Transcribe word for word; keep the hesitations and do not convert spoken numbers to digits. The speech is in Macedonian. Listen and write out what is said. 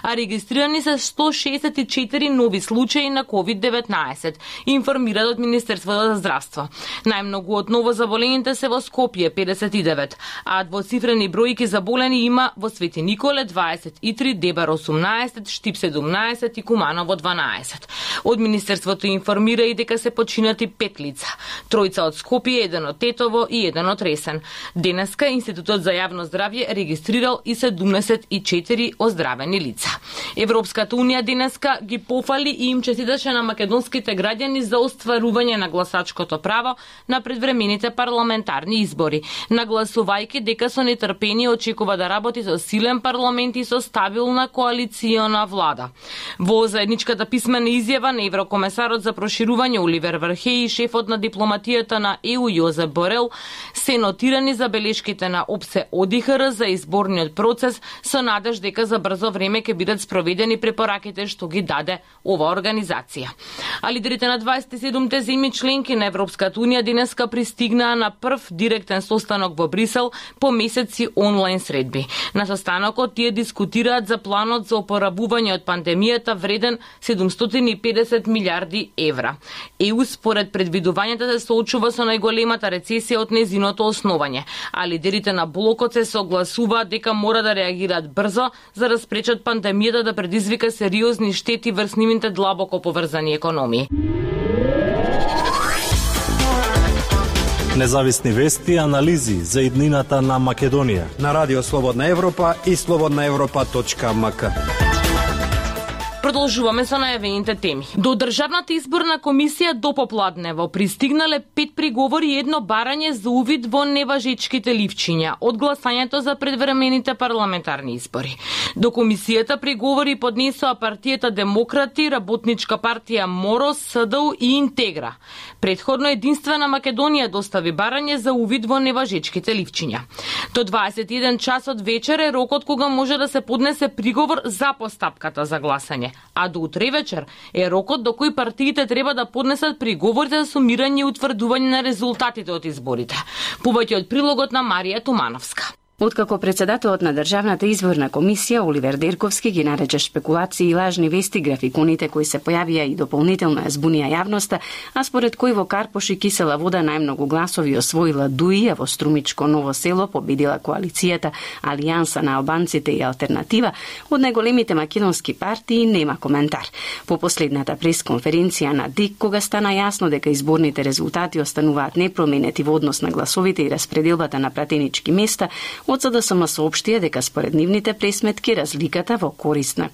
а регистрирани се сто шесет и четири нови случаи на ковид деветнаесет, информираат од Министерството за здравство. Најмногу од новозаболените се во Скопје педесет и девет, а двоцифрени бројки заболени има во Свети Николе дваесет и три, Дебар осумнаесет, Штип седумнаесет и Куманово дванаесет. Од Министерството информира и дека се починати пет лица. Тројца од Скопје, еден од Тетово и еден од Ресен. Денеска Институтот за јавно здравје регистрирал и седумдесет и четири оздравени лица. Европската унија денеска ги пофали и им честиташе на македонските граѓани за остварување на гласачкото право на предвремените парламентарни избори, нагласувајќи дека со нетрпение очекува да работи со силен парламент и со стабилна коалициона влада. Во заедничката писмена изјава на еврокомесарот за проширување Оливер Вархеј и шефот на дипломатијата на Е У Јозеп Борел се нотирани забелешките на ОПСЕ О Ди Х Р за изборниот процес со надеж дека за брзо време ќе бидат спроведени препораките што ги даде оваа организација. А лидерите на дваесет и седумте земји членки на Европската унија денеска пристигнаа на прв директен состанок во Брисел по месеци онлайн средби. На состанокот тие дискутираат за планот за опоравување од пандемијата вреден седумстотини и педесет милиарди евра. Е У според предвидувањата се соочува со најголемата рецесија од незиното основање, а лидерите на блокот се согласуваат дека мора да реагираат брзо за да спречат пандемијата да предизвика сериозни штети врз нивните длабоко поврзани економии. Независни вести и анализи за иднината на Македонија на Радио Слободна Европа и слободна европа точка ем ка. Продолжуваме со најавените теми. До Државната изборна комисија до попладнево пристигнале пет приговори и едно барање за увид во неважечките ливчиња од гласањето за предвремените парламентарни избори. До комисијата приговори поднесоа партијата Демократи, Работничка партија Моро, С Д У и Интегра. Предходно единствена Македонија достави барање за увид во неважечките ливчиња. До дваесет и еден часот вечер е рокот кога може да се поднесе приговор за постапката за гласање, а до утре вечер е рокот до кој партиите треба да поднесат приговорите за сумирање и утврдување на резултатите од изборите. Повеќе од прилогот на Марија Тумановска. Откако председателот на Државната изборна комисија Оливер Дерковски ги нарече шпекулации и лажни вести графиконите кои се појавија и дополнително збунија јавноста, а според кој во Карпош и Кисела Вода најмногу гласови освоила Д У И, а во Струмичко Ново село победила коалицијата Алијанса на албанците и Алтернатива, од најголемите македонски партии нема коментар. По последната пресконференција на ДИК, кога стана јасно дека изборните резултати остануваат непроменети во однос на гласовите и распределбата на пратенички места, од С Д С М соопштија дека според нивните пресметки разликата во корист на